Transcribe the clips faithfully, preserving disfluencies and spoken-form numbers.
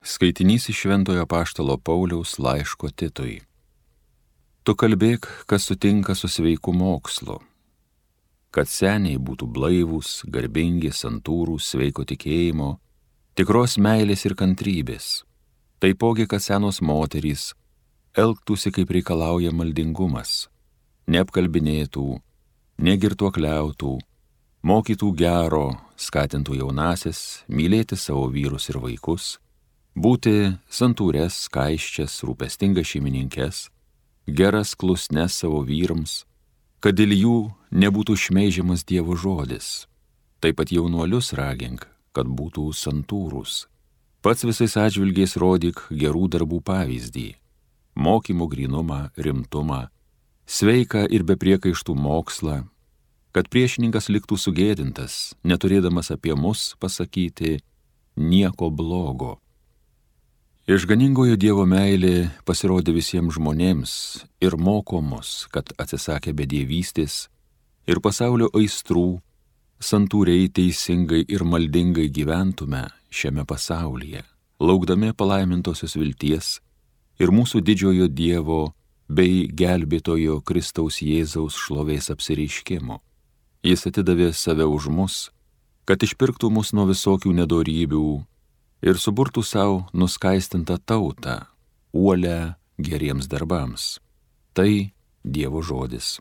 Skaitinys iš Šventojo Apaštalo Pauliaus laiško Titui. Tu kalbėk, kas sutinka su sveiku mokslu, kad seniai būtų blaivūs, garbingi, santūrūs, sveiko tikėjimo, tikros meilės ir kantrybės. Taipogi, kad senos moterys elgtųsi kaip reikalauja maldingumas, neapkalbinėtų, negirtuokliautų, mokytų gero, skatintų jaunasis, mylėti savo vyrus ir vaikus, būti santūres, skaisčias, rūpestingas šeimininkes, geras klusnes savo vyrams, kad dėl jų nebūtų šmeižiamas Dievo žodis. Taip pat jaunuolius ragink, kad būtų santūrūs. Pats visais atžvilgiais rodyk gerų darbų pavyzdį, mokymų grynumą, rimtumą, sveiką ir be priekaištų mokslą, kad priešininkas liktų sugėdintas, neturėdamas apie mus pasakyti nieko blogo. Išganingojo Dievo meilė pasirodė visiems žmonėms ir moko mus, kad atsisakę bedievystės ir pasaulio aistrų, santūriai, teisingai ir maldingai gyventume šiame pasaulyje, laukdami palaimintosios vilties ir mūsų didžiojo Dievo bei gelbėtojo Kristaus Jėzaus šlovės apsireiškimo. Jis atidavė save už mus, kad išpirktų mus nuo visokių nedorybių ir suburtų savo nuskaistintą tautą, uolę geriems darbams. Tai Dievo žodis.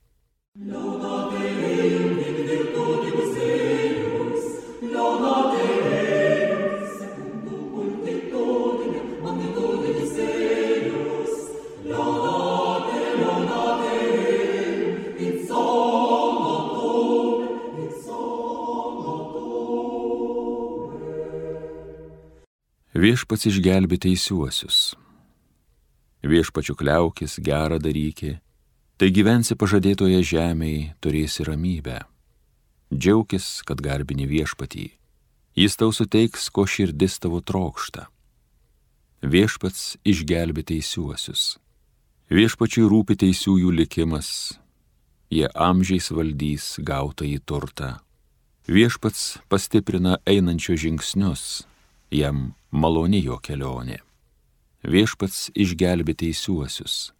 Viešpats išgelbė teisiuosius. Viešpačiu kliaukis, gerą daryki, tai gyvensi pažadėtoje žemėje, turėsi ramybę. Džiaukis, kad garbini viešpatį, jis tau suteiks, ko širdis tavo trokšta. Viešpats išgelbė teisiuosius. Viešpačiui rūpi teisiųjų likimas, jie amžiais valdys gautąjį turtą. Viešpats pastiprina einančio žingsnius, jam maloni jo kelionė. Viešpats išgelbė teisiuosius.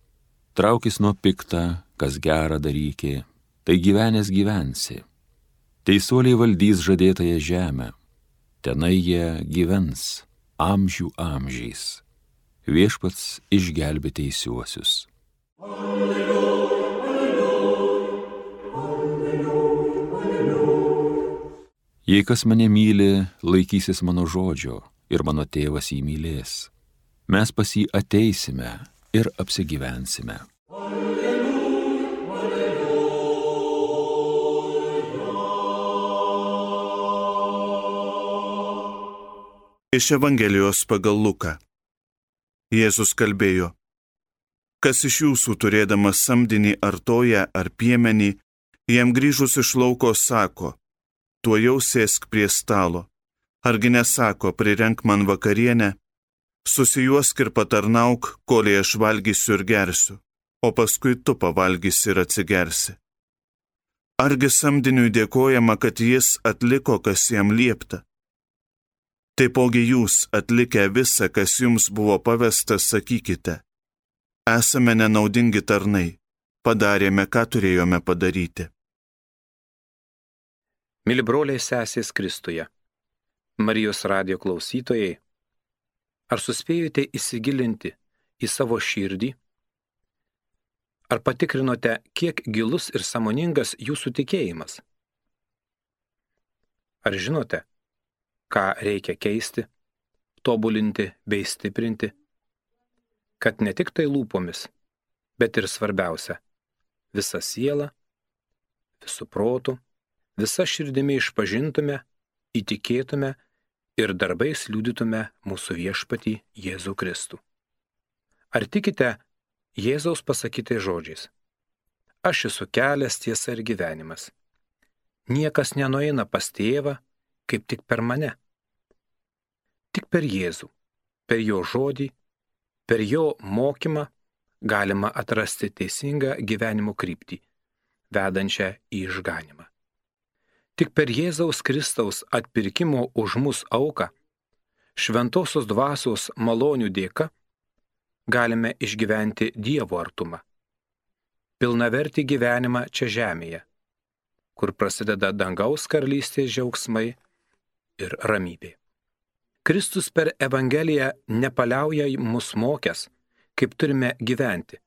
Traukis nuo pikta, kas gerą daryki, tai gyvenęs gyvensi. Teisuoliai valdys žadėtąją žemę, tenai jie gyvens amžių amžiais. Viešpats išgelbė teisiuosius. Alleluja, alleluja, alleluja, alleluja. Jei kas mane myli, laikysis mano žodžio, ir mano tėvas jį mylės. Mes pas jį ateisime ir apsigyvensime. Alleluja, alleluja. Iš Evangelijos pagal Luką. Jėzus kalbėjo: kas iš jūsų turėdamas samdinį ar toją ar piemenį, jam grįžus iš lauko sako: tuojau sėsk prie stalo. Argi nesako, prirenk man vakarienę, susijuosk ir patarnauk, kolei aš valgysiu ir gersiu, o paskui tu pavalgysi ir atsigersi. Argi samdiniui dėkojama, kad jis atliko, kas jam liepta? Taipogi jūs, atlikę visą, kas jums buvo pavesta, sakykite: esame nenaudingi tarnai, padarėme, ką turėjome padaryti. Mili broliai sesės Kristuje, Marijos radijo klausytojai, ar suspėjote įsigilinti į savo širdį? Ar patikrinote, kiek gilus ir sąmoningas jūsų tikėjimas? Ar žinote, ką reikia keisti, tobulinti bei stiprinti, kad ne tik tai lūpomis, bet ir svarbiausia, visa siela, visų protų, visa širdimi išpažintume, įtikėtume ir darbais liudytume mūsų viešpatį Jėzų Kristų? Ar tikite Jėzaus pasakytais žodžiais: aš esu kelias, tiesa ir gyvenimas. Niekas nenueina pas tėvą, kaip tik per mane. Tik per Jėzų, per jo žodį, per jo mokymą galima atrasti teisingą gyvenimo kryptį, vedančią į išganymą. Tik per Jėzaus Kristaus atpirkimo už mus auką šventosios dvasios malonių dėka galime išgyventi Dievo artumą, pilnavertį gyvenimą čia žemėje, kur prasideda dangaus karalystės džiaugsmai ir ramybė. Kristus per Evangeliją nepaliauja mus mokęs, kaip turime gyventi,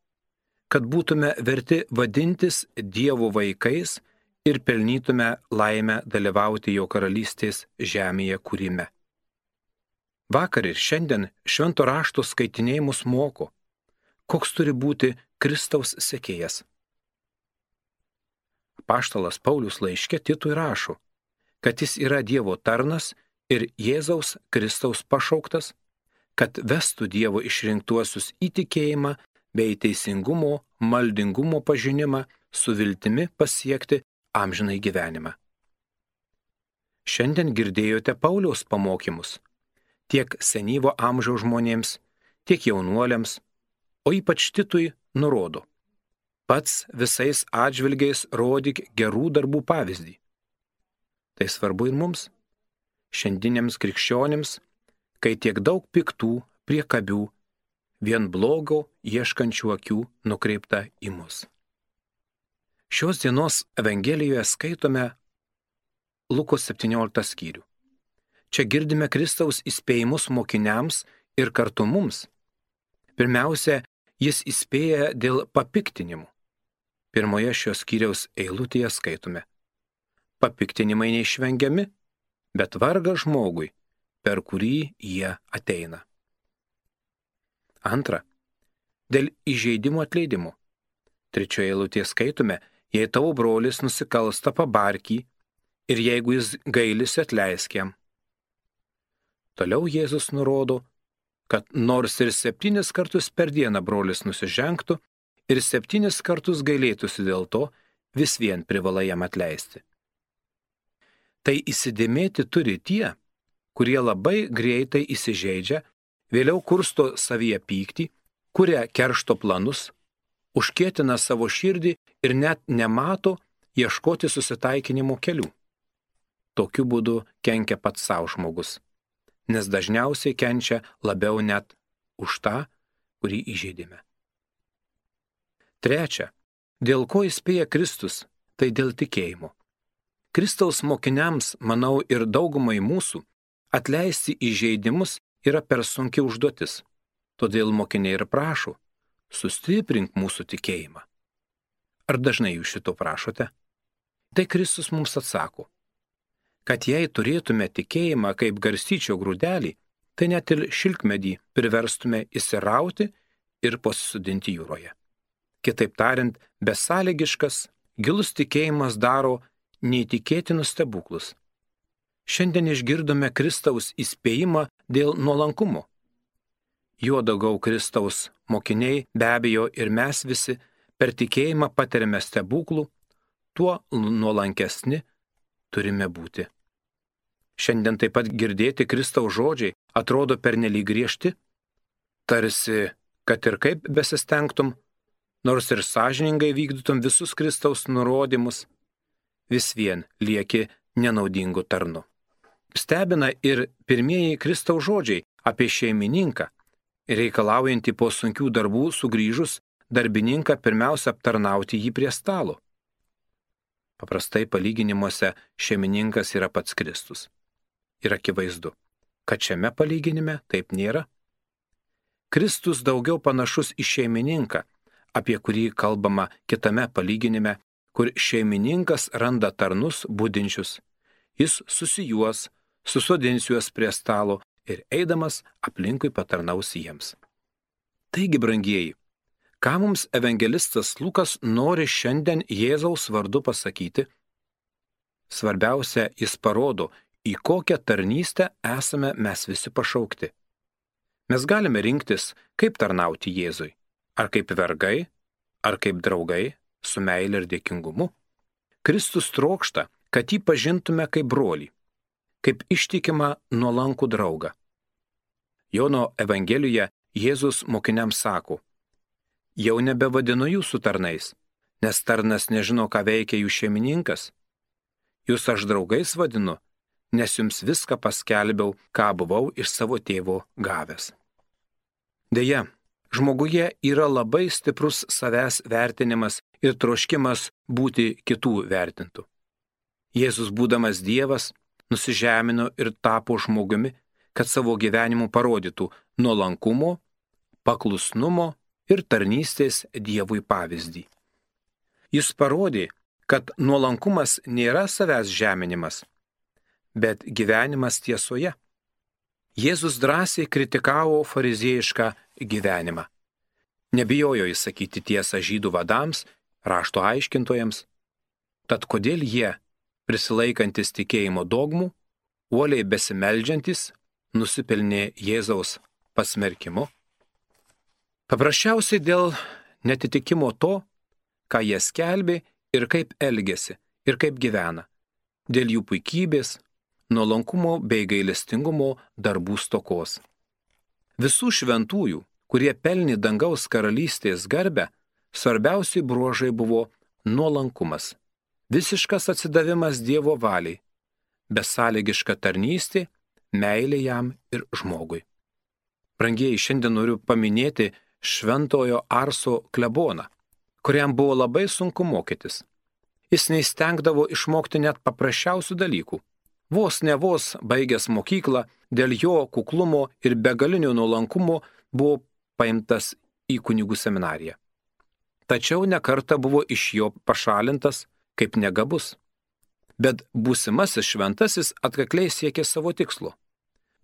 kad būtume verti vadintis Dievo vaikais ir pelnytume laimę dalyvauti jo karalystės žemėje kūrime. Vakar ir šiandien švento rašto skaitiniai mus moko, koks turi būti Kristaus sekėjas. Apaštalas Paulius laiške Titui rašo, kad jis yra Dievo tarnas ir Jėzaus Kristaus pašauktas, kad vestų Dievo išrinktuosius į tikėjimą bei teisingumo, maldingumo pažinimą su viltimi pasiekti amžinai gyvenimą. Šiandien girdėjote Pauliaus pamokymus tiek senyvo amžiaus žmonėms, tiek jaunuoliams, o ypač Titui nurodo: pats visais atžvilgiais rodyk gerų darbų pavyzdį. Tai svarbu ir mums, šiandieniams krikščionims, kai tiek daug piktų, priekabių, vien blogo ieškančių akių nukreipta į mus. Šios dienos Evangelijoje skaitome Luko septynioliktą skyrių. Čia girdime Kristaus įspėjimus mokiniams ir kartu mums. Pirmiausia, jis įspėja dėl papiktinimų. Pirmoje šios skyriaus eilutėje skaitome: papiktinimai neišvengiami, bet vargas žmogui, per kurį jie ateina. Antra, dėl įžeidimų atleidimų. Trečioje eilutėje skaitome: jei tavo brolis nusikalsta, pabark jį, ir jeigu jis gailisi, atleisk jam. Toliau Jėzus nurodo, kad nors ir septynis kartus per dieną brolis nusižengtų ir septynis kartus gailėtųsi dėl to, vis vien privalai jam atleisti. Tai įsidėmėti turi tie, kurie labai greitai įsižeidžia, vėliau kursto savyje pyktį, kuria keršto planus, užkietina savo širdį ir net nemato ieškoti susitaikinimo kelių. Tokiu būdu kenkia pats savo žmogus, nes dažniausiai kenčia labiau net už tą, kurį įžeidėme. Trečia, dėl ko įspėja Kristus, tai dėl tikėjimo. Kristaus mokiniams, manau ir daugumai mūsų, atleisti įžeidimus yra per sunki užduotis. Todėl mokiniai ir prašo: sustiprink mūsų tikėjimą. Ar dažnai jūs šito prašote? Tai Kristus mums atsako, kad jei turėtume tikėjimą kaip garstyčio grūdelį, tai net ir šilkmedį priverstume įsirauti ir pasisodinti jūroje. Kitaip tariant, besąlygiškas, gilus tikėjimas daro neįtikėtinus stebuklus. Šiandien išgirdome Kristaus įspėjimą dėl nuolankumo. Juo daugiau Kristaus mokiniai, be abejo ir mes visi, per tikėjimą patiriame stebuklų, tuo nuolankesni turime būti. Šiandien taip pat girdėti Kristaus žodžiai atrodo pernelyg griežti, tarsi, kad ir kaip besistengtum, nors ir sąžiningai vykdytum visus Kristaus nurodymus, vis vien lieki nenaudingu tarnu. Stebina ir pirmieji Kristaus žodžiai apie šeimininką, reikalaujantį po sunkių darbų sugrįžus darbininką pirmiausia aptarnauti jį prie stalo. Paprastai palyginimuose šeimininkas yra pats Kristus. Ir akivaizdu, kad šiame palyginime taip nėra. Kristus daugiau panašus į šeimininką, apie kurį kalbama kitame palyginime, kur šeimininkas randa tarnus budinčius. Jis susijuos, susodins juos prie stalo ir eidamas aplinkui patarnaus jiems. Taigi, brangieji, ką mums evangelistas Lukas nori šiandien Jėzaus vardu pasakyti? Svarbiausia, jis parodo, į kokią tarnystę esame mes visi pašaukti. Mes galime rinktis, kaip tarnauti Jėzui, ar kaip vergai, ar kaip draugai, su meile ir dėkingumu. Kristus trokšta, kad jį pažintume kaip brolį, kaip ištikimą nuolankų draugą. Jono Evangelijoje Jėzus mokiniams sako: jau nebevadinu jūsų tarnais, nes tarnas nežino, ką veikia jų šeimininkas. Jūs aš draugais vadinu, nes jums viską paskelbiau, ką buvau iš savo tėvo gavęs. Deja, žmoguje yra labai stiprus savęs vertinimas ir troškimas būti kitų vertintų. Jėzus, būdamas Dievas, nusižemino ir tapo žmogumi, kad savo gyvenimu parodytų nuolankumo, paklusnumo ir tarnystės Dievui pavyzdį. Jis parodė, kad nuolankumas nėra savęs žeminimas, bet gyvenimas tiesoje. Jėzus drąsiai kritikavo fariziejišką gyvenimą. Nebijojo įsakyti tiesą žydų vadams, rašto aiškintojams. Tad kodėl jie, prisilaikantis tikėjimo dogmų, uoliai besimeldžiantis, nusipelnė Jėzaus pasmerkimu? Paprasčiausiai dėl netitikimo to, ką jie skelbė ir kaip elgėsi ir kaip gyvena, dėl jų puikybės, nuolankumo bei gailestingumo darbų stokos. Visų šventųjų, kurie pelnė dangaus karalystės garbę, svarbiausi bruožai buvo nuolankumas, visiškas atsidavimas Dievo valiai, besąlygiška tarnystė, meilė jam ir žmogui. Brangieji, šiandien noriu paminėti šventojo Arso kleboną, kuriam buvo labai sunku mokytis. Jis neįstengdavo išmokti net paprasčiausių dalykų. Vos ne vos baigęs mokyklą, dėl jo kuklumo ir begalinio nuolankumo buvo paimtas į kunigų seminariją. Tačiau nekartą buvo iš jo pašalintas kaip negabus. Bet būsimasis šventasis atkakliai siekė savo tikslo.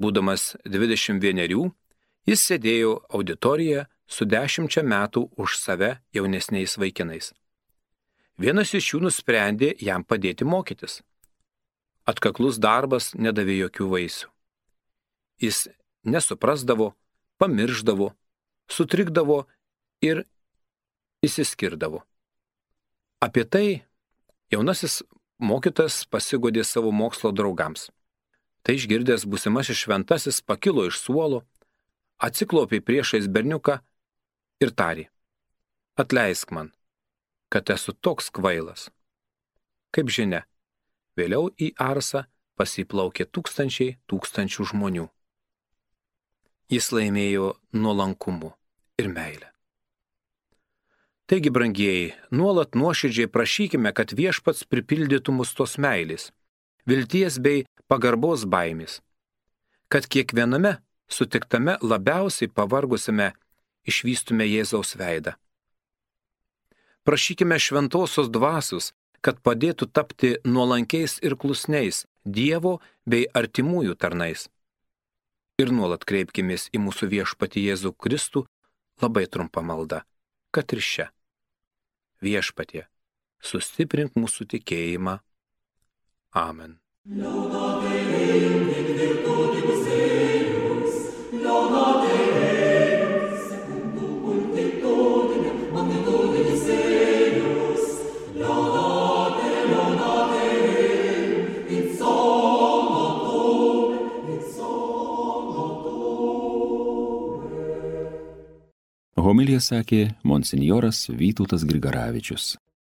Būdamas dvidešimt vienerių, jis sėdėjo auditorijoje su dešimčia metų už save jaunesniais vaikinais. Vienas iš jų nusprendė jam padėti mokytis. Atkaklus darbas nedavė jokių vaisių. Jis nesuprasdavo, pamirždavo, sutrikdavo ir išsiskirdavo. Apie tai jaunasis mokytas pasigodė savo mokslo draugams. Tai išgirdęs būsimasis šventasis pakilo iš suolo, atsiklaupė priešais berniuką ir tarė: atleisk man, kad esu toks kvailas. Kaip žinia, vėliau į Arsą pasiplaukė tūkstančiai tūkstančių žmonių. Jis laimėjo nuolankumu ir meilę. Taigi, brangieji, nuolat nuoširdžiai prašykime, kad Viešpats pripildytų mus tos meilės, vilties bei pagarbos baimės, kad kiekviename sutiktame labiausiai pavargusiame išvystume Jėzaus veidą. Prašykime šventosios dvasios, kad padėtų tapti nuolankiais ir klusniais Dievo bei artimųjų tarnais. Ir nuolat kreipkimės į mūsų Viešpatį Jėzų Kristų labai trumpą maldą, kad ir šią. Viešpatie, sustiprink mūsų tikėjimą. Amen. Homiliją sakė monsinjoras Vytautas Grigaravičius.